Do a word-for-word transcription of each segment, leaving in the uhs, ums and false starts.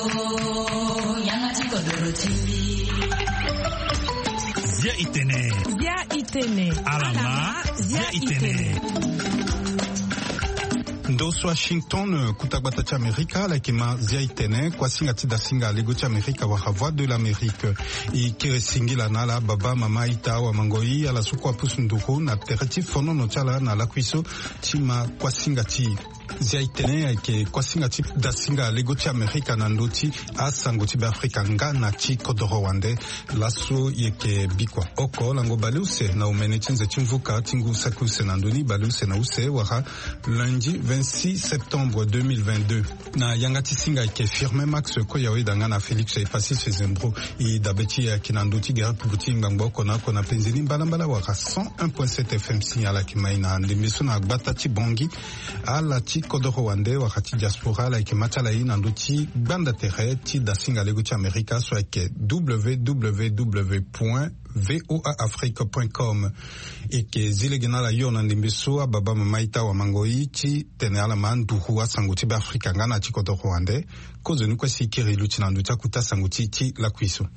Yanga ti kodoro ti mbi. Zia itene. Zia itene. Alama. Zia itene. Ndo so Washington, kuta gbata ti Amerika, ala yeke ma Zia itene, kuasinga ti dasinga lego ti Amerika wala Voix de l'Amérique. E kiri singila na ala baba, mama, ita, awamangoi, ala so kue apusu nduru na tere ti fonono ti ala na lakui so ti ma kuasinga ti e. Zia itene ayeke kuasinga ti dasinga lego ti Amerika na ndö ti asango ti Beafrika nga na ti kodoro wande. Laso e yeke bikua oko lango baleuse na omene ti nze ti mvuka ti ngu saki use na ndö ni, baleuse na use wala lundi vingt-six septembre deux mille vingt-deux. Na yanga ti singa ayeke Firmin Max Koyawe, danga na Félix Epasis Zembro. E dabe ti e ayeke na ndö ti gere pupu ti ngbangbo oko na oko na penze ni mbalambala wala cent un point sept F M. Signal ayeke ma e na ndembe so na gbata ti Bangui. Ala ti kodoro wande wala ti diaspora, ala yeke ma ti ala e na ndö ti gbanda tere ti dasinga lego ti Amerika so ayeke W W W point V O A Afrique point com. E yeke zi lege na ala hio na ndembe so ababa, mama, ita, awamangoi, ti tene ala ma nduru asango ti Beafrika nga na ti kodoro wande. Kozoni kue si e kiri luti na ndö ti akuta sango ti e ti lakui so.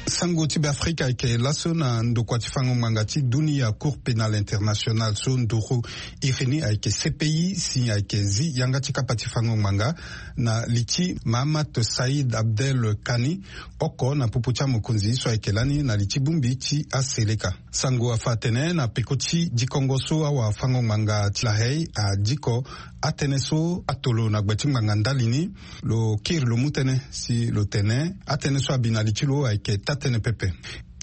Sango ti Beafrika ayeke laso na ndokua ti fango ngbanga ti dunia, Cour pénale internationale, so nduru iri ni ayeke C P I, si ayeke zi yanga ti kapa ti fango ngbanga na li ti Mahamat Saïd Abdel Kani, oko na popo ti amokonzi so ayeke lani na li ti bongbi ti aseleka. Sango afa atene na peko ti dikongo so awafango-ngbanga ti La Haye adiko atënë so atolo na gbe ti ngbanga ndali ni, lo kiri lo mu tënë si lo tene atënë so abi na li ti lo ayeke taa tënë pepe.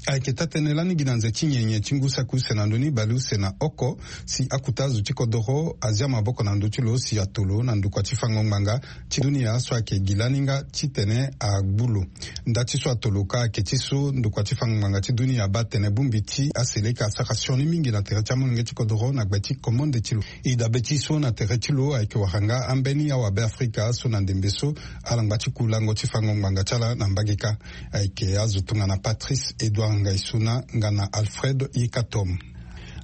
Ayeke taa tënë lani gi na nze ti nyenye ti ngu saki use na ndö ni baleuse na oko, si akuta azo ti kodoro azia maboko na ndö ti lo si atolo na ndokua ti fango ngbanga ti dunia so ayeke gi lani nga titene agbu lo. Nda ti so atolo ka ayeke ti so ndokua ti fango ngbanga ti dunia abaa atene bongbi ti aseleka asara sioni mingi na tere ti amolenge ti kodoro na gbe ti komonde ti lo. E dabe ti so na tere ti lo ayeke wara nga ambeni awabe afrika so na ndembe so ala ngba ti ku lango ti fango ngbanga ti ala na mbage kâ. Ayeke azo tongana Patrice Edouard Ngaisuna nga na Alfred Yekatom.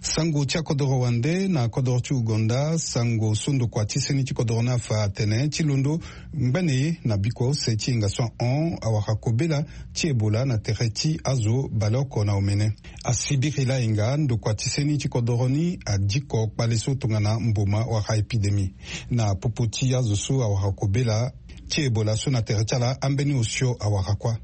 Sango ti akodoro wande na kodoro ti Ouganda, sango so ndokua ti seni ti kodoro ni afa atene ti londo ngbene ye na bikua use ti yenga so ahon awara kobela ti Ebola na tere ti azo baleoko na omene. Asibiri layenga, ndokua ti seni ti kodoro ni adiko kpale so tongana mboma wala épidémie. Na popo ti azo so awara kobela ti Ebola so na tere ti ala ambeni osio awara kuâ.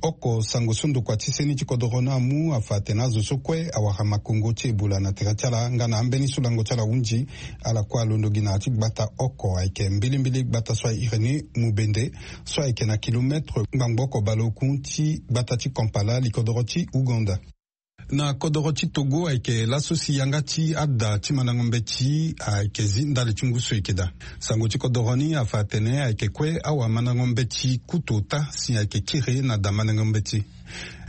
Oko sango so ndokua ti seni ti kodoro ni amu afa atene azo so kue awara makongo ti Ebola na tere ti ala nga na ambeni so lango ti ala hunzi, ala kue alondo gi na ya ti gbata oko ayeke mbilimbili gbata so airi ni Mubende, so ayeke na kilometre ngbangbo oko baleoku ti gbata ti Kampala, likodoro ti Ouganda. Na kodoro ti Togo ayeke laso si yanga ti ada ti mandango mbeti ayeke zi ndali ti ngu so e yeke daa. Sango ti kodoro ni afa atene ayeke kue awamandango mbeti kutu ota si ayeke kiri na da mandango mbeti.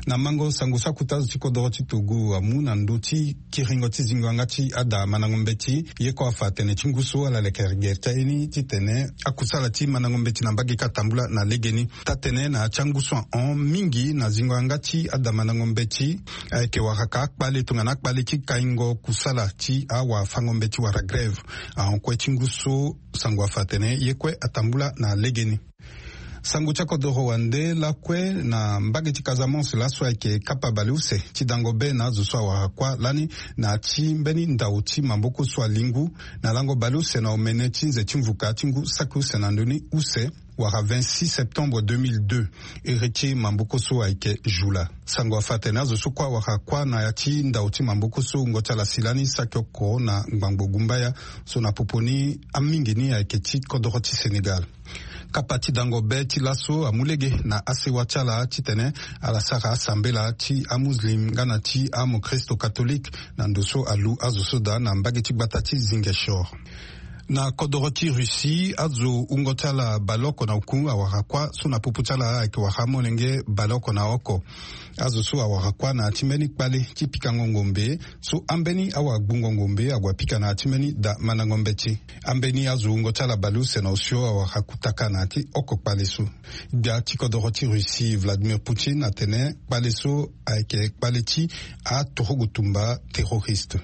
Na mango sango so akuta azo ti kodoro ti Togo amu na ndö ti kiringo ti zingo yanga ti ada mandango mbeti, ye kue afa atene ti ngu so ala leke gere ti aye ni titene akusala ti mandango mbeti na mbage kâ atambula na legeni. Taa-tënë na ya ti angu so ahon mingi na zingo yanga ti ada mandango mbeti ayeke waraka akpale tongana akpale ti kaingo kusala ti awafango mbeti wala grève. Ahon kue ti ngu so sango afa atene ye kue atambula na legeni. Sango ti akodoro wande lakue na mbage ti Casamance, laso ayeke kapa baleuse ti dango be na azo so awara kuâ lani na ya ti mbeni ndao ti maboko so alingu na lango baleuse na omene ti nze ti mvuka ti ngu saki use na ndö ni use wala vingt-six septembre deux mille deux. Iri ti maboko so ayeke Jula. Sango afa atene azo so kue awara kuâ na ya ti ndao ti maboko so wungo ti ala si lani saki oko na ngbangbo gumbaya so na popo ni amingi ni ayeke ti kodoro ti Sénégal. Kapa ti dango be ti laso amu lege na asewa ti ala titene ala sara asambela ti amuslim nga na ti amokristo katolike na ndo so alu azo so daa na mbage ti gbata ti Ziguinchor. Na kodoro ti Russie, azo wungo ti ala baleoko na oku awara kuâ so na popo ti ala ayeke wara amolenge baleoko na oko. Azo so awara kuâ na ya ti mbeni kpale ti pikango ngombe so ambeni awagbungo ngombe ague apika na ya ti mbeni da mandango mbeti. Ambeni azo wungo ti ala baleuse na osio awara kutaka na ya ti oko kpale so. Gbia ti kodoro ti Russie Vladimir Poutine atene kpale so ayeke kpale ti aturugu tumba terroriste.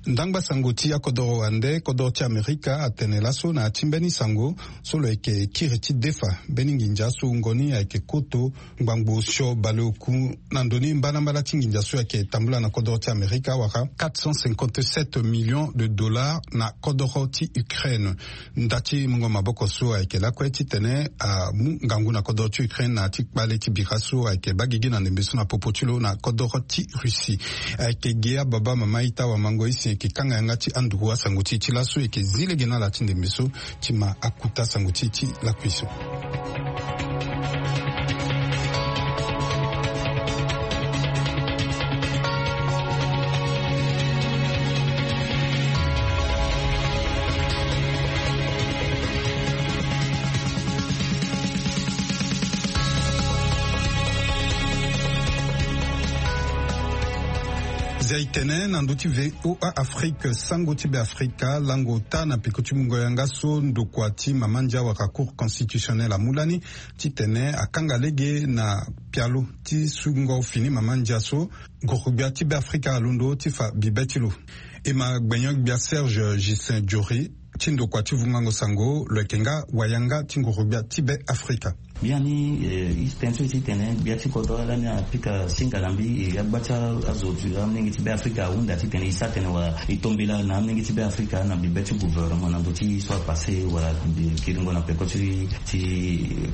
Ndangba sango ti akodoro wande kodoro ti Amerika atene laso na ya ti mbeni sango so lo yeke kiri ti defa mbeni nginza so wungo ni ayeke koto ngbangbo osio baleoku na ndo ni mbalambala ti nginza so ayeke tambula na kodoro ti Amerika wala quatre cent cinquante-sept millions de dollars na kodoro ti Ukraine. Nda ti mungo maboko so ayeke lakue titene amu ngangu na kodoro ti Ukraine na ya ti kpale ti bira so ayeke baa gigi na ndembe so na popo ti lo na kodoro ti Russie. Ayeke ge ababa mama ita wamango isi yeke kanga yanga ti anduru asango ti e ti laso, e yeke zi lege na ala ti ndembe so ti ma akuta sango ti e ti lakui so. Zia e tene na ndö ti V O A Afrique, sango ti Beafrika lango ota na peko ti mungo yanga so ndokua ti mama ndia wala Cour constitutionnelle amu lani titene akanga lege na pialo ti sungo fini mama ndia so ngorogbia ti Beafrika alondo ti fa bibe ti lo. E ma gbenyo-gbia Serge Ghislain Jory ti ndokua ti vungango sango, lo yeke nga wayanga ti ngorogbia ti Beafrika. Biani, eh, e tene so e ti tene gbia ti kodro lani apika singa na mbi, e agba ti azo ti amolenge ti Beafrika ahunda titene e sara tene wala e tombela na amolenge ti Beafrika na bibe ti gouvernement na ndö ti so apasse wala kiringo na peko ti, ti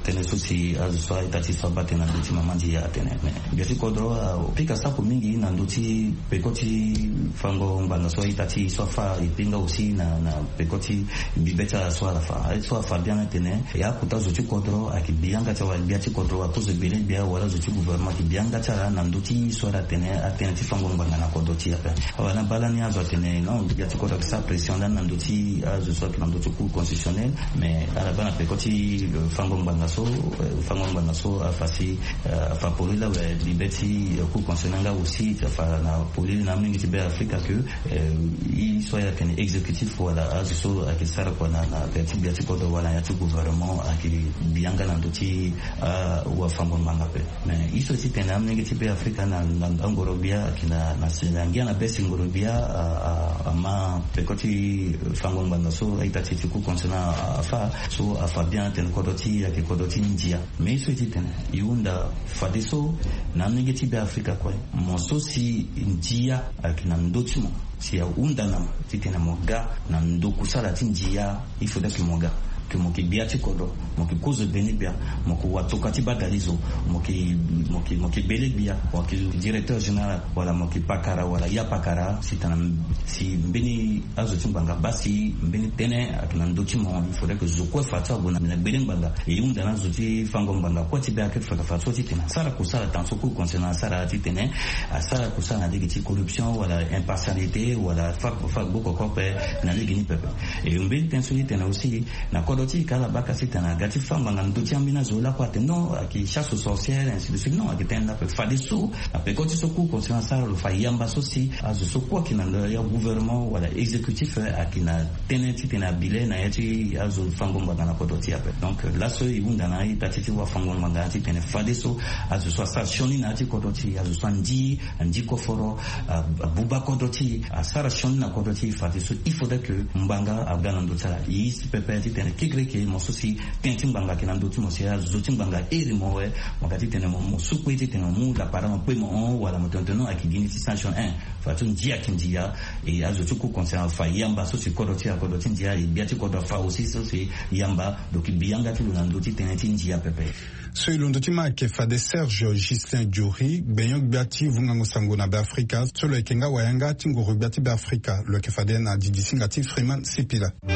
tënë so si azo so a-ita ti so abaa tënë na ndö ti mama ndia atene. Mais gbia ti kodro apika sako mingi na ndö ti peko ti fango ngbanga so a-ita ti e so afa, et puis nga aussi na, na peko ti mbi be ti ala so ala fa. Aye so afa biani atene, e akota zo ti kodro ayeke bi yanga ti ala, wala gbia ti kodro, wala kozo gbele gbia, wala zo ti gouvernement ayeke bi yanga ti ala na ndö ti so ala tene, atënë ti fango ngbanga na kodro ti e ape. Awa na baa lani azo atene non, gbia ti kodro ayeke sara pression lani na ndö ti azo so ayeke na ndö ti Cour constitutionnelle, mais ala baa na peko ti, euh, fango ngbanga so, euh, fango ngbanga so afa si, euh, afa polele awe, bibe ti, euh, Cour constitutionnelle nga aussi afa na polele na amolenge ti Beafrika que, euh, e so aye atene exécutif wala azo so ayeke sara kua na, na ya ti gbia ti kodro wala na ya ti gouvernement ayeke bi yanga na ndö ti, ah, wafango ngbanga ape. Mais e so e ti tene amolenge ti Beafrika na, na angorogbia ayeke na, na si na ngia na be si ngorogbia, ah, ah, ama peko ti fango ngbanga so a-ita ti e ti Cour constitutionnelle afa, so afa bien atene kodro ti e ayeke kodro ti ndia. Mais e so e ti tene e hunda fadeso na amolenge ti Beafrika kue, mo so si ndia ayeke na ndö ti mo, si ahunda na mo titene mo ga na ndo kusala ti ndia, il faudrait que mo ga, que mo yeke gbia ti kodro, mo yeke kozo gbene gbia, mo yeke watoka ti badalizo, mo yeke, mo yeke, mo yeke gbele gbia, mo yeke directeur général, wala mo yeke pakara wala ya pakara, si tena, si mbeni azo ti ngbanga baa si mbeni tënë ayeke na ndö ti mo, il faudrait que zo kue fa so ague na gbele ngbanga. E hunda na azo ti fango ngbanga kue ti Beafrika fa so titene asara kusala tant so Cour constitutionnelle asara titene asara kusala na lege ti corruption wala impartialité wala fa, fa gbo koko ape na lege ni pepe. E mbeni tënë so e tene aussi na kodro ti e ka ala baka titene aga ti fa ngbanga na ndö ti ambeni azo lakue atene non, ayeke chasse aux sorcières, ainsi de suite. Non, ayeke tënë ni ape. Fadeso na peko ti so Cour constitutionnelle asara lo fa yamba so si azo so kue ayeke na ndo ya gouvernement wala exécutif, eh, ayeke na tënë titene abi le na ya ti azo fango ngbanga na kodro ti e ape. Donc, euh, laso e hunda na a-ita ti e ti wafango ngbanga titene fadeso azo so asara sioni na ya ti kodro ti e, azo so andi, andi koforo, a, abuba kodro ti e, asara sioni na kodro ti e, fadeso il faudrait que ngbanga aga na ndö ti ala. E si pepe titene kekereke mo so si tënë ti ngbanga ayeke na ndö ti mo, si azo ti ngbanga airi mo awe, mo ga titene mo, mo sukue titene mo mu lapara mo kpe mo hon, wala mo tene tene non, ayeke gi ni ti sanction, hein. Fadeso ndia ayeke ndia. E azo ti Cour constitutionnelle afa yamba so si kodro ti e, kodro ti ndia, e gbia ti kodro afa aussi so si yamba. Donc e bi yanga ti lo na ndö ti tënë ti ndia pepe. So e londo ti ma ayeke fade Serge Ghislain Jory, gbenyo-gbia ti vungango sango na Beafrika, so lo yeke nga wayanga ti ngoro-gbia ti Beafrika. Lo yeke fade na didisinga ti Freeman Sipila. E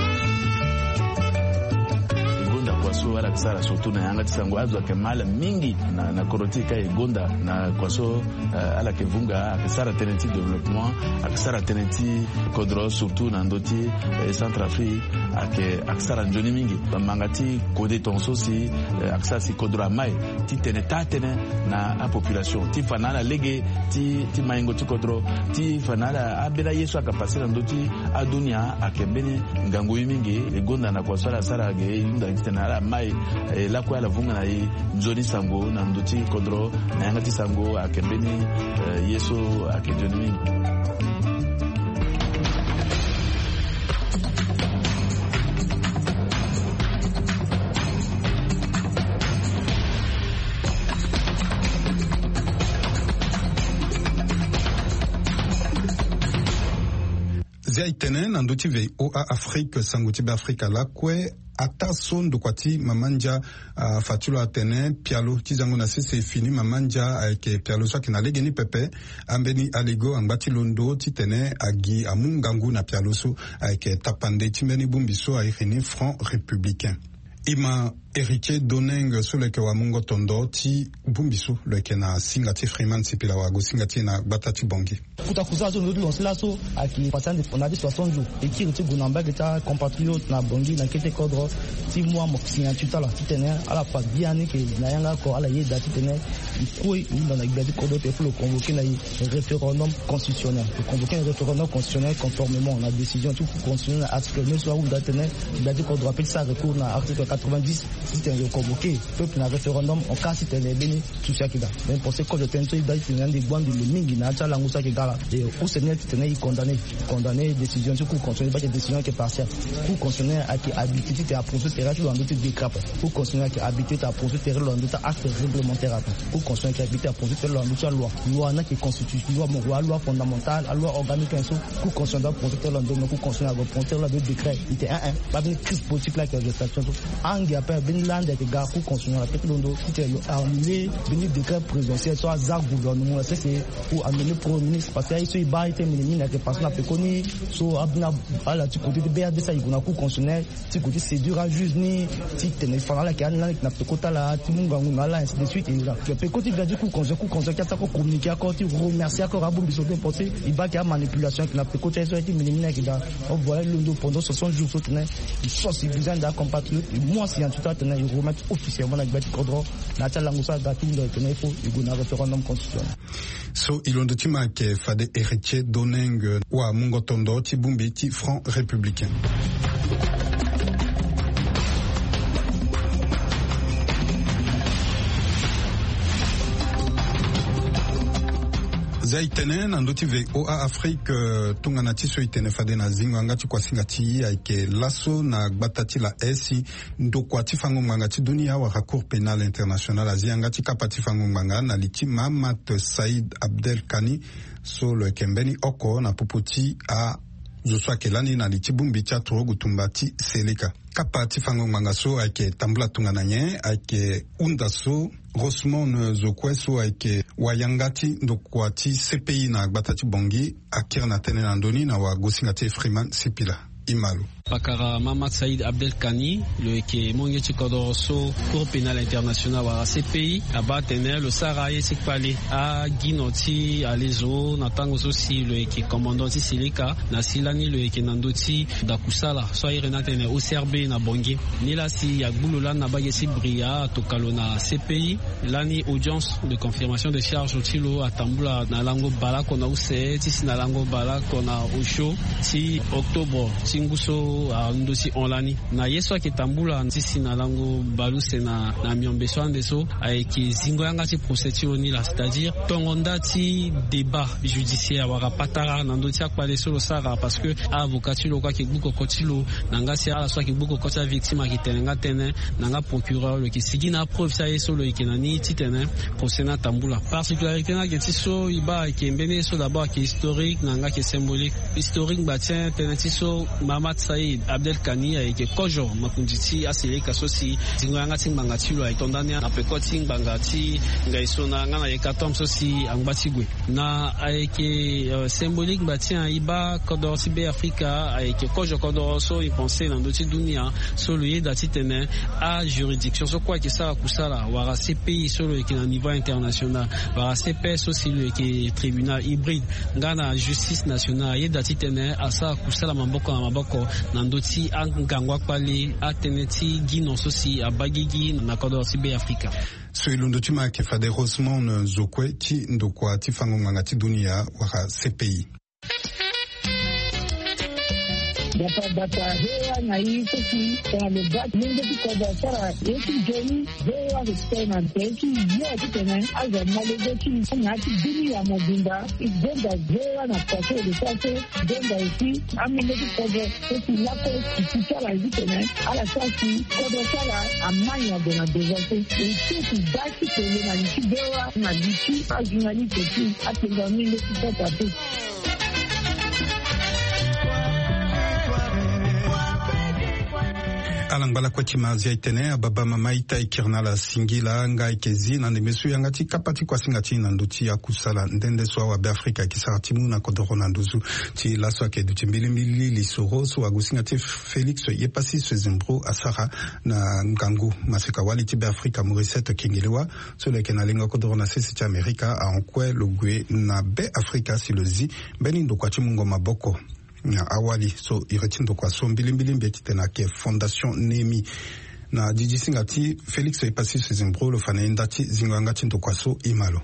gonda kua so ala yeke sara surtout na yanga ti sango, azo ayeke ma ala mingi na, na kodro ti e ka e gonda na kua so, eh, ala yeke vunga, ayeke sara tënë ti développement, ayeke sara tënë ti kodro surtout na ndö ti, eh, Centrafrique, ayeke, ayeke sara nzoni mingi. Bamanga ti kode tongaso si, eh, ayeke sara si kodro amai titene taa tënë na apopulation, ti fa na ala lege ti, ti maingo ti kodro, ti fa na ala ambeni aye so ayeke passe na ndö ti adunia, ayeke mbeni ngangu ye mingi. E gonda na kua so ala sara ge, e hunda titene ala mai, eh, lakue ala vunga na e nzoni sango na ndö ti kodro, na yanga ti sango ayeke mbeni, eh, ye so ayeke nzoni mingi. Ya e tene na ndö ti VOA Afrique, sango ti Beafrika lakue. Ataa so ndokua ti mama ndia afa ti lo atene pialo ti zango na sese e fini, mama ndia ayeke pialo so ayeke na legeni pepe. Ambeni aligo angba ti londo titene agi amu ngangu na pialo so ayeke tapande ti mbeni bongbi so airi ni Front Républicain. E ma Héritier Doneng so lo yeke wamungo tondo ti bongbi so lo yeke na singa ti Freeman Sipila, wago singa ti e na gbata ti Bangui. Kota kusala so lo ti lancer laso ayeke passé na ade soixante jours. E kiri ti gue na mbage ti acompatriote na Bangui na kete kodro ti mu amoke signature ti ala titene ala fa biani ke na yanga oko ala yeda titene e kue e hunda na gbia ti kodro ti e, il faut lo convoquer na e référendum constitutionnel. Lo convoquer na référendum constitutionnel conformément na décision ti Cour constitutionnelle na article neuf so ahunda titene gbia ti kodro ape ti sara recours na article quatre-vingt-dix titene lo convoquer peuple na référendum en cas titene mbeni souci ayeke daa. Mais pour ce code tënë so e daa titene ande e gbu ande lo mingi na ya ti alango so ayeke daa laa. E use ni titene e condamner, condamner décision ti Cour constitutionnelle, e baa titene décision ayeke partielle. Cour constitutionnelle ayeke habilité titene aprononcer tere ti lo na ndö ti décret ape. Cour constitutionnelle ayeke habilité titene aprononcer tere ti lo na ndö ti acte réglementaire ape. Cour constitutionnelle ayeke habilité aprononcer tere ti lo na ndö ti aloi. Loi ni ayeke constitution, loi moko, aloi fondamentale, aloi organique, hein, so Cour constitutionnelle doit prononcer tere ti lo na ndö, Cour constitutionnelle doit prononcer tere ti lo na ndö ti décret. E tene, hein, hein, baa mbeni crise politique laa ayeke na législation so. Ange ape mbeni lande ayeke ga Cour constitutionnelle na kete londo titene lo annulé mbeni décret présidentiel so aza gouvernement na sese pour annulé premier ministre, parce que aye so e baa e tene mene mene ayeke passé na peko ni so abina ala ti côté ti B R D C aye gue na Cour constitutionnelle ti gue ti séduire ajuge ni titene e fa na ala ayeke ani lani ayeke na peko ti ala ti mu ngangu na ala, ainsi de suite. E la peko ti ga ti Cour constitutionnelle, Cour constitutionnelle ti ata oko communiqué oko ti remercier oko abongbi so ti e pensé e baa ayeke amanipulation ayeke na peko ti aye so aye ti mene mene ayeke daa. Voilà, e londo pendant soixante jours so tene e force e besoin de acompatriote e mu asignature ti atene e remettre officiellement na gbia ti kodro na ya ti alango so aga ti hunda e tene il faut e gue na référendum constitutionnel. So e londo ti ma ayeke fade Héritier Doneng, wamungo tondo ti bongbi ti Front Républicain. Za e tene na ndö ti VOA Afrique, eh, tongana ti so e tene fade na zingo yanga ti kuasinga ti e ayeke laso na gbata ti la esi ndokua ti fango ngbanga ti dunia wala Cour pénale internationale azi yanga ti kapa ti fango ngbanga na li ti Mahamat Saïd Abdelkani so lo yeke mbeni oko na popo ti azo so ayeke lani na li ti bongbi ti aturugu tumba ti Seleka. Kapa ti fango ngbanga so ayeke tambula tongana nyen? Ayeke hunda so Rosemond Zokoué so ayeke wayanga ti ndokua ti C P I na gbata ti Bangui akiri na tënë na ndö ni na wagosinga ti e Freeman Sipila. E ma lo. Pakara Mahamat Saïd Abdelkani, lo yeke molenge ti kodoro so Cour pénale internationale wala C P I abaa atene lo sara aye ti kpale agino ti alezo na tango so si lo yeke commandant ti Seleka, na si lani lo yeke na ndö ti dakusala so airi ni atene O C R B na Bangui. Nilaa si agbu lo lani na bage ti Bria, atoka lo na C P I. Lani audience de confirmation de charge ti lo atambula na lango baleoko na use ti si na lango baleoko na osio ti octobre ti ngu so alondo ti hon lani. Na ye so ayeke tambula ti si na lango baleuse na, na miombe so ande so ayeke zingo yanga ti procès ti lo ni laa, c'est-à-dire tongo nda ti débat judiciaire wala patara na ndö ti akpale so lo sara, parce que avocat ti lo kue ayeke gbu koko ti lo na yanga si ala so ayeke gbu koko ti avictime ayeke tene nga tënë na yanga procureur lo yeke sigi na apreuve ti aye so lo yeke na ni titene procès ni atambula. Particularité ni ayeke ti so e baa ayeke mbeni ye so d'abord ayeke historique na yanga ayeke symbolique. Historique ngba ti tënë ti so Mahamat Saïd Abdelkani ayeke kozo makonzi ti aSeleka so si zingo yanga ti ngbanga ti lo ayeke to ndani na peko ti ngbanga ti ngai so na yanga na hécatombe so si angba ti gue. Na ayeke, euh, symbolique ngba ti e baa kodoro ti Beafrika ayeke kozo kodoro so e pense na ndö ti dunia so lo yeda titene ajuridiction so kue ayeke sara kusala wala C P I so lo yeke na niveau international wala C P S so si lo yeke tribunal hybride nga na justice nationale ayeda titene asara kusala maboko na maboko na ndö ti angangu akpale atënë ti gino so si abaa gigi na kodoro ti Beafrika. So e londo ti ma ayeke fade Rosemond Zokoué ti ndokua ti fango ngbanga ti dunia wala C P I. Gbata gbata V O A na e so si tongana lo ga lenge ti kodro asara ye ti nzoni, V O A ayeke tene na tere ti yo titene azo amolenge ti na ya ti dunia mobimba. E gonda V O A na pase e de so ase gonda aussi amolenge ti kodro so si lakue e ti ti ala ye titene ala sara si kodro ti ala amai na gue na devant so. E so e ti ga ti tene na li ti V O A na li ti ajournaliste ti atenga amolenge ti kota te. Ala ngba lakue ti ma azia e tene ababa mama ita e kiri na ala singila nga e yeke zi na ndembe so yanga ti kapa ti kuasinga ti e na ndö ti akusala nde nde so awabe afrika e yeke sara ti mu na kodoro na nduzu. Ti laso ayeke duti mbilimbili lisoro so agosinga ti e Félix Yepasi Sezembro asara na ngangu maseka wali ti Be Afrika Morisset Kengelewa, so lo yeke na lengo kodoro na sese ti Amerika ahon kue lo gue na Be Afrika si lo zi mbeni ndokua ti mungo maboko na awali so iri ti ndokua so mbilimbili mbi ye titene ayeke Fondation Néhémie. Na didi singa ti Félix Yepasi Sezembro lo fa na ye nda ti zingo yanga ti ndokua so e ma lo.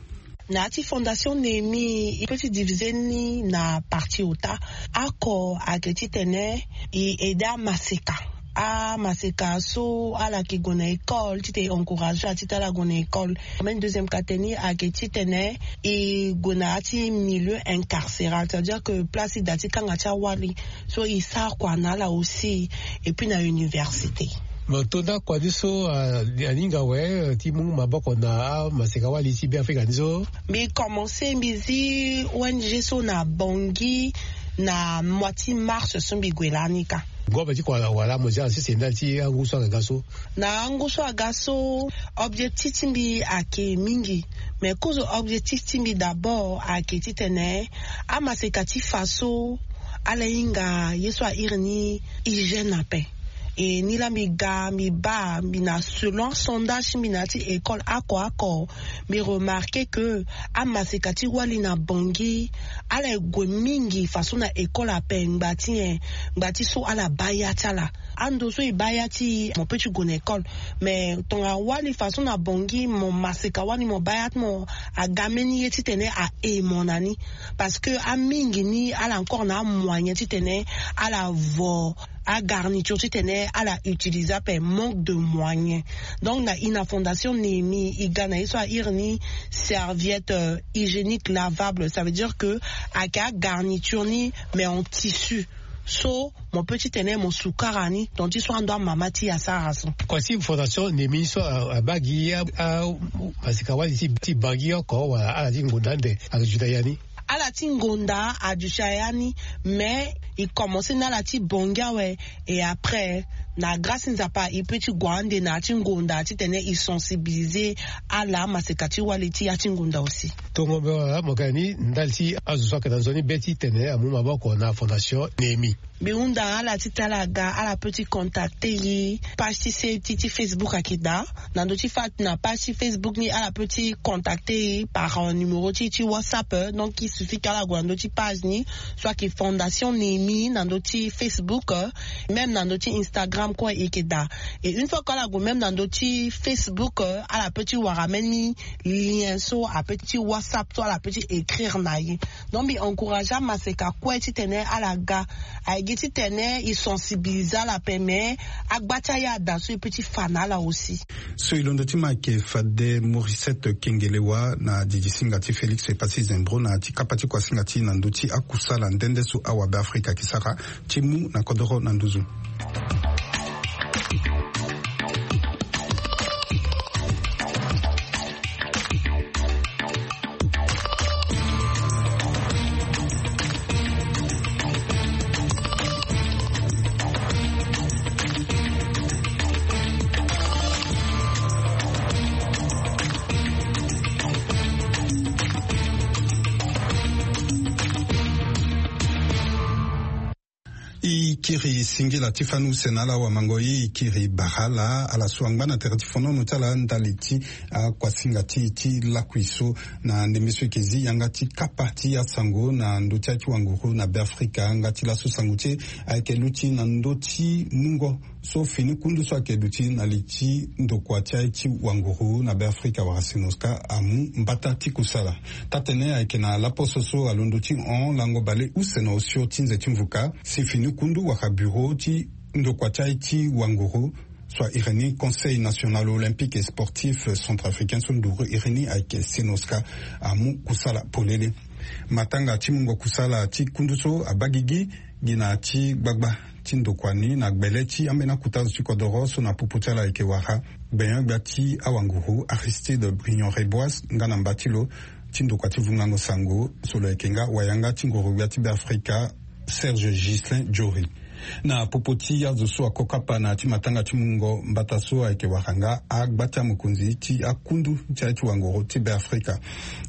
Na ya ti Fondation Néhémie e pe ti divize ni na partie ota. Oko ayeke titene e aide amaseka, amaseka so ala yeke gue na école titene e encourage ala titene ala gue na école. Même deuxième catégorie ayeke titene e gue na ya ti milieu incarcéral, c'est-à-dire que place ti da ti kanga ti awali so e sara kua na ala aussi. Et puis na université. Mo tonda kua ni so ahinga awe ti mu maboko na amaseka wali ti Be Afrika ni so. Mbi commence mbi zi O N G so na Bangui na mois ti mars so mbi gue lani kâ. Ngombe ti kua wala mo zi ala sese ndali ti angu so aga so. Na angu so aga so, objectif ti mbi ayeke mingi. Mais kozo objectif ti mbi d'abord ayeke titene amaseka ti fa so ala hinga ye so a iri ni hygiène ape. E ni laa mbi ga mbi baa mbi na selon asondage ti mbi na ya ti école oko oko, mbi remarqué que amaseka ti wali na Bangui ala gue mingi façon na école ape ngba ti nyen? Ngba ti so ala baa ya ti ala. Ando so e baa ya ti e mo pe ti gue na école. Mais tongana wali façon na Bangui mo maseka wali mo baa ya ti mo aga mbeni ye titene a e mo na ni. Parce que amingi ni ala encore na amoyen titene ala vo agarniture titene ala utiliser ape, manque de moyen. Donc na i na Fondation Néhémie i ga na ye so a iri ni serviette hygiénique lavable, ça veut dire que ayeke agarniture ni mais en tissu. So mo pe titene mo sukara ni tonga ti so ando amama ti e asara so. Kua ti Fondation Néhémie so abaa gi amaseka wali ti Bangui oko wala ala ti ngonda ande ayeke juda ya ni? Ala ti ngonda aduti aya ni. Mais e commence na ala ti Bangui awe. Et après na grâce ti Nzapa e pe ti gue ande na ya ti ngonda titene e sensibiliser ala amaseka ti wali ti ya ti ngonda aussi. Tongo mbe wala mo ga ni ndali ti azo so ayeke na nzoni be titene amu maboko na Fondation Néhémie. Mbi hunda ala titene ala ga ala pe ti contacter e. Page ti se ti ti Facebook ayeke daa. Na ndö ti fa na page ti Facebook ni ala pe ti contacter e par numéro ti ti WhatsApp. Donc il suffit que ala gue na ndö ti page ni so ayeke Fondation Néhémie na ndö ti Facebook, même na ndö ti Instagram kue e yeke daa. Et une fois que ala gue même na ndö ti Facebook, ala pe ti wara même ni lien so ape ti WhatsApp so ala pe ti écrire na e. Donc mbi encourage amaseka kue titene ala ga. Aye gi titene e sensibiliser ala ape mais agba ti aya ada so e pe ti fa na ala aussi. So e londo ti ma ayeke fade Morisset Kengelewa na didi singa ti Félix Yepasi Sezembro na ya ti kapa ti kuasinga ti e na ndö ti akusala nde nde so awabe Afrika ayeke sara ti mu na kodoro na nduzu. E kiri singila ti fani use na ala wamango e, e kiri bara ala ala so angba na tere ti fonono ti ala ndali ti akuasinga ti e ti lakui so. Na ndembe so e yeke zi yanga ti kapa ti asango na ndö ti aye ti wanguru na Be Afrika nga ti laso sango ti e ayeke luti na ndö ti mungo so fini kundu so ayeke duti na li ti ndokua ti aye ti wanguru na Be Afrika wala Cenoska amu mbata ti kusala. Taa-tënë ayeke na laposo so alondo ti hon lango baleuse na osio ti nze ti mvuka si fini kundu wala bureau ti ndokua ti aye ti wanguru so a iri ni Conseil National Olympique et Sportif Centrafricain so nduru iri ni ayeke Cenoska amu kusala polele. Matanga ti mungo kusala ti kundu so abaa gigi gi na ya ti gbagba ti ndokua ni na gbele ti ambeni akuta azo ti kodoro so na popo ti ala ayeke wara gbenyo-gbia ti awanguru Aristide Briand Reboise nga na mba ti lo ti ndokua ti vungango sango so lo yeke nga wayanga ti ngoro-gbia ti Be Afrika Serge Ghislain Jory. Na popo ti azo so ako kapa na ya ti matanga ti mungo mbata so ayeke wara nga agba ti amokonzi ti akundu ti aye ti wangoro ti Be Afrika.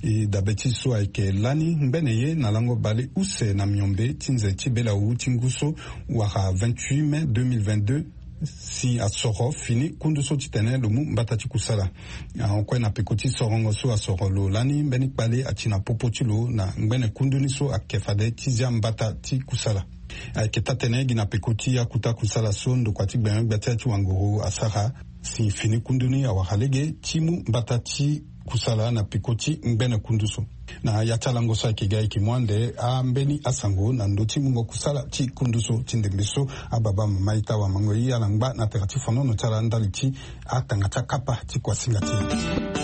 E dabe ti so ayeke lani ngbene ye na lango bale use na miombe ti nze ti belawu ti ngu so wara vingt-huit mai deux mille vingt-deux, si asoro fini kundu so titene lo mu mbata ti kusala. Ahon kue na peko ti sorongo so asoro lo lani mbeni kpale ati na popo ti lo na ngbene kundu ni so ayeke fade ti zia mbata ti kusala. Ayeke taa-tene gi na peko ti akuta kusala so ndokua ti gbengbe gbia ti ya ti wanguru asara si fini kundu ni awara lege ti mu mbata ti kusala na peko ti ngbene kundu so. Na ya ti alango so ayeke ga ayeke mu ande ambeni asango na ndö ti mungo kusala ti kundu so ti ndembe so. Ababa mama ita wamango ye ala ngba na tere ti fonono ti ala ndali ti akanga ti akapa ti kuasinga ti e.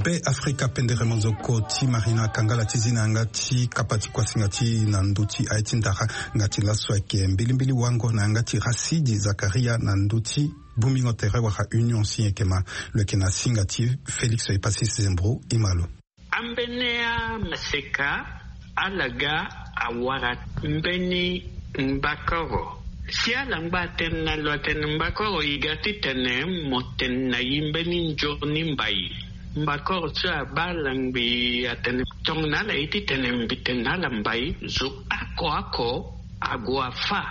Be Afrika pendere mozoko ti Marina Kangala ti zi na yanga ti kapa ti kuasinga ti e na ndö ti aye ti ndara. Nga ti laso ayeke mbilimbili wango na yanga ti Rasidi Zakaria na ndö ti bongbingo tere wala union si e yeke ma. Lo yeke na singa ti Félix Epasis Zembro. E ma lo. Ambeni amaseka ala ga awara mbeni mbakoro. Si ala ngba atene na lo atene mbakoro e ga titene mo tene na e mbeni nzoni mbai. Mbakoro so abaa ala ngbii atene tongana ala ye titene mbi tene na ala mbai zo oko oko ague afâ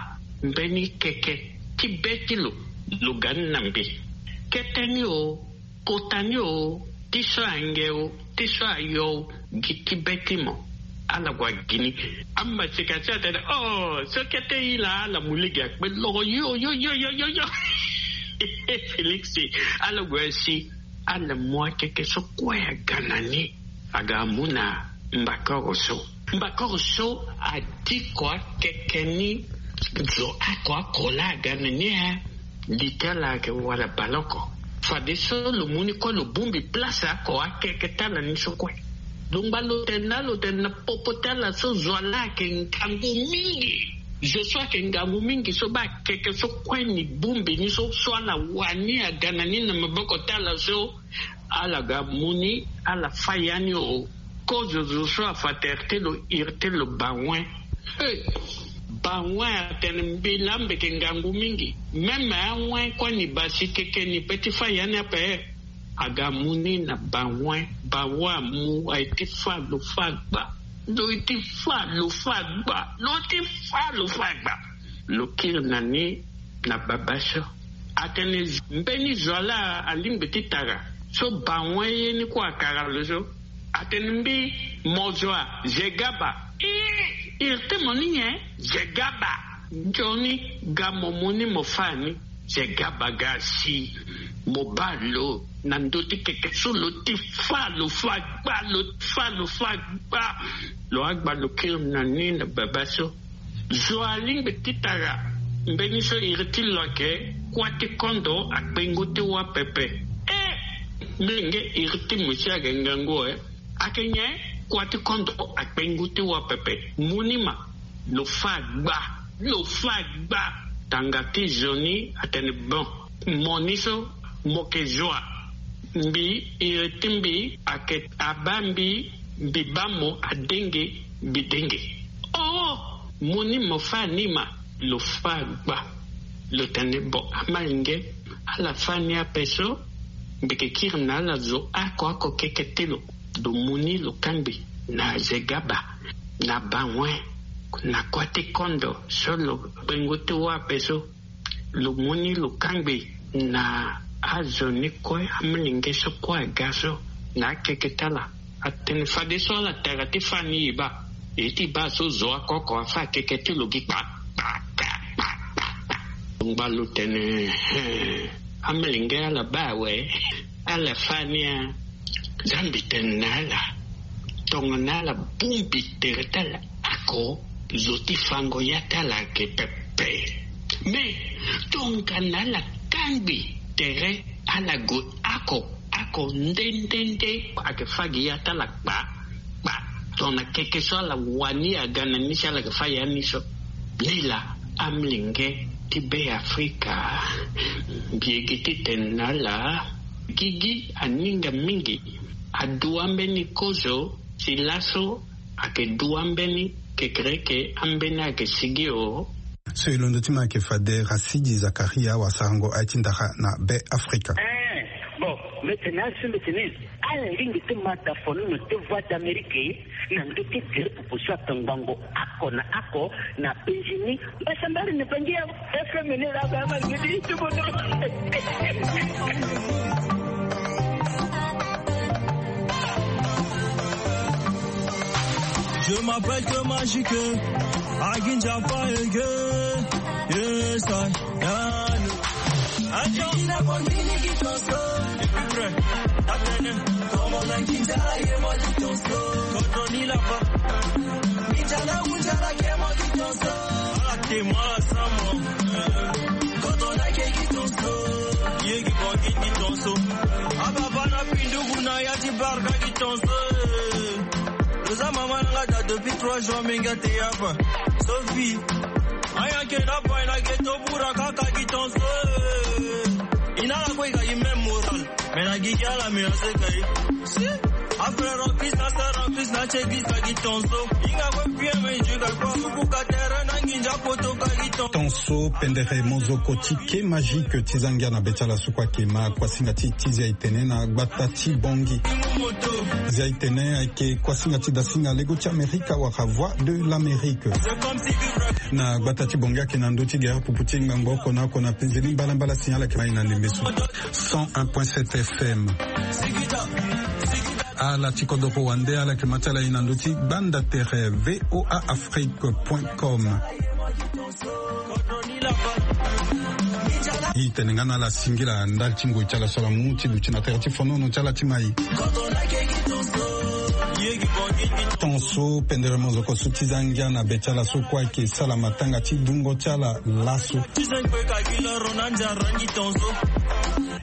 mbeni keke ti be ti lo. Lo ga ni na mbi. Kete ni o, kota ni o, ti so ange o, ti so ayo o, gi ti be ti mo. Ala gue agi ni. Amaseka ti atene o so kete e laa ala mu lege akpe loro yo yo yo yo yo yo. Félix, ala gue asi. Ala mu akeke so kue aga na ni. Aga amu na mbakoro so. Mbakoro so adiko akeke ni zo oko oko laa aga na ni e. Li ti ala ayeke wala baleoko. Fadeso lo mu ni kue lo bongbi place oko akeke ti ala ni so kue. Lo ngba lo tene na lo tene na popo ti ala so zo wa laa ayeke ngangu mingi. Zo so ayeke ngangu mingi so baa akeke so kue ni bongbi ni so so ala wani aga na ni na maboko ti ala so. Ala ga mu ni ala fâ ya ni o. Kozo zo so afa tere ti lo iri ti lo bawen. Bawen atene mbi laa mbi yeke ngangu mingi. Même awen kue ni baa si keke ni pe ti fâ ya ni ape. Aga mu ni na bawen. Bawen amu aye ti fâ lo fâ gba. Lo ye ti fâ lo fâ gba lo ti fâ lo fâ gba. Lo kiri na ni na baba so. Atene mbeni zo wa laa alingbi ti tara so bawen ye ni kue akara lo so. Atene mbi mo zo wa zegaba. Ii iri ti mo ni nyen zegaba. Nzoni ga mo mu ni mo fâ ni. Zegaba ga si mo baa lo na ndö ti keke so lo ti fâ lo fâ gba lo ti fâ lo fâ gba. Lo agba lo kiri na ni na baba so. Zo alingbi ti tara mbeni so iri ti lo ayeke kuâ ti kondo akpengo ti wâ pepe. E mbi lenge iri ti mo si ayeke ngangu e. Ayeke nyen? Kuâ ti kondo akpengo ti wâ pepe. Mu ni ma. Lo fâ gba lo fâ gba. Tanga ti zo ni atene bon. Mo ni so mo yeke zo wa. Mbi iri ti mbi ayeke abaa mbi. Mbi baa mo adenge mbi denge. Oh, mo ni mo fâ ni ma. Lo fâ gba. Lo tene bon amalenge. Ala fâ ni ape so. Mbi yeke kiri na ala zo oko oko keke ti lo. Lo mu ni lo kangbi na zegaba na bawen na kuâ ti kondo so lo kpengo ti wâ ape so. Lo mu ni lo kangbi na azo ni kue amolenge so kue aga so na akeke ti ala. Atene fadeso ala tara ti fâ ni e baa. E ti baa so zo oko oko afâ akeke ti lo gi kpa kpa kpa kpa kpa kpa. Ngba lo tene he. Amolenge ala baa awe. Ala fâ ni a. Za mbi tene na ala. Tongana ala bongbi tere ti ala oko zo ti fango ya ti ala ayeke pepe. Me tongana ala kangbi tere ala gue oko oko nde nde nde ayeke fâ gi ya ti ala kpa kpa. Tongana keke so ala wani aga na ni si ala yeke fâ ya ni so. Lila amolenge ti Beafrika, mbi yeke titene na ala, gigi aninga mingi. Adua mbeni kozo ti laso, ayeke dua mbeni kekereke ambeni ayeke sigi o. So e londo ti ma ayeke fade Rasidi Zakaria wasarango aye ti ndara na Beafrika. Eh, bon, mbi tene na ala so mbi tene, ala lingbi ti ma da fonono ti Voix d'Amérique na ndö ti gere pupu so ayeke ngbongo oko na oko na penzi ni. Mbasambari na bangi ya F M ni la ba ma ngidi ti bono. Je m'appelle que Magique, Aginja Faege, yes I am. Oza mama na nga da depuis trois jours, mi nga te yaba. Sophie. Aya ke na boy na ghetto bura kaka gi tonso. Ina la kwe ka gi même moral. Mais na gigi ala me ase kai. Si. A frère en Christ, na sœur en Christ, na che gi ka gi tonso. Inga kwe pie me ju ka kwa kuku ka terre na nginja poto ka gi tonso. Tonso pendere mozoko ti ke Magique ti za ngia na be ti ala so kue ayeke ma kuasinga ti ti zia e tene na gbata ti Bangui. Zia e tene ayeke kuasinga ti dasinga lego ti Amerika wala Voix de l'Amérique. Na gbata ti Bangui ayeke na ndö ti gere pupu ti ngbangbo oko na oko na penzi ni mbalambala, signal ayeke ma e na ndembe so. Cent un point sept F M. Ala ti kodoro wande ala yeke ma ti ala e na ndö ti gbanda tere V O A Afrique point com. E tene nga na ala singila ndali ti ngoi ti ala so ala mu ti duti na tere ti fonono ti ala ti mai. Tonso pendere mozoko so ti za ngia na be ti ala so kue ayeke sala matanga ti dungo ti ala laso.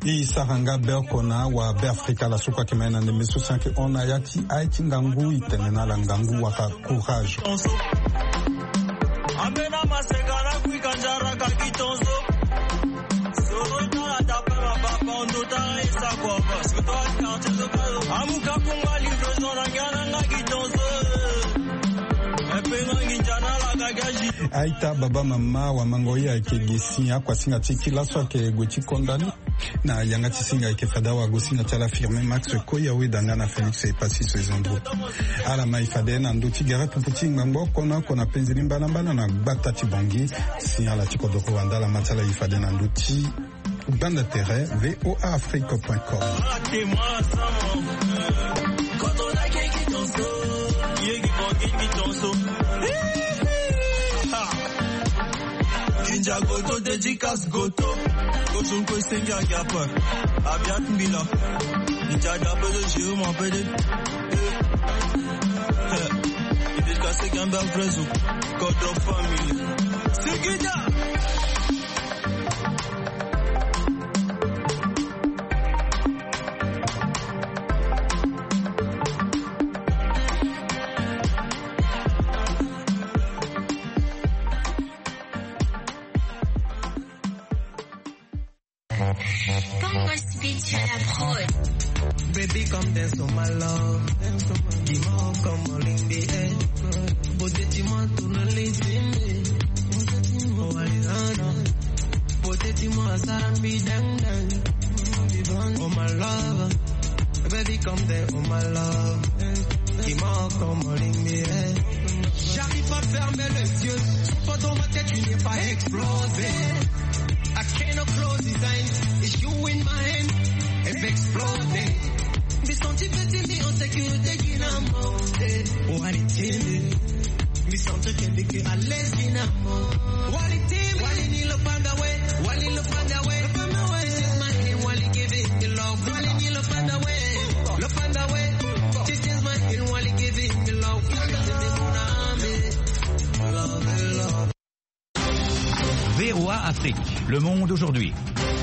E sara nga be oko na awa Beafrika laso kue ayeke ma e na ndembe so si ayeke hon na ya ti aye ti ngangu, e tene na ala ngangu wala courage. Aita, baba, mama, wamango, ye ayeke gi si akuasinga ti ti laso ayeke gue ti konda ni. Na yanga ti singa ayeke fade awagosinga ti ala Firmin Max Koya, weda nga na Félix Epassi Soezandro. Ala ma e fade na ndö ti gere pupu ti ngbangbo oko na oko na penzi ni mbalambala na gbata ti Bangui. Si ala ti kodoro wande ala ma ti ala e fade na ndö ti gbanda tere V O A Afrique point com. Ginja Goto, dédicace Goto. Kozo kue sengi a gapa. Abiat mbila. Ginja da pede, Jérôme pede. Eh. Eh. Dédicace Gambia Frezo. Goto family. Sigida. Congo Speed sur la prod. Baby, come dance on my love. Dis-moi comment l'indé est. Beauté, dis-moi, tourne les yeux. Oh, I don't know. Beauté, dis-moi, ça me dang dang. Oh, my love. Baby, come there, oh, my love. Dis-moi comment l'indé est. J'arrive pas à fermer les yeux. Pas dans ma tête, tu n'es pas explosé. I cannot close his eyes. It's you in my hand. If exploding. Mbi senti petit mi en sécurité, Guinamo. Eh, oh, allez, tiens. Mbi senti que mbi ke à l'aise, Guinamo. Wali team, wali ni lo panda we, wali lo panda we. Lo panda we. This is my hand, wali give it the love. Wali ni lo panda we, lo panda we. This is my hand, wali give it the love. Love, love. V O A Afrique, le monde aujourd'hui.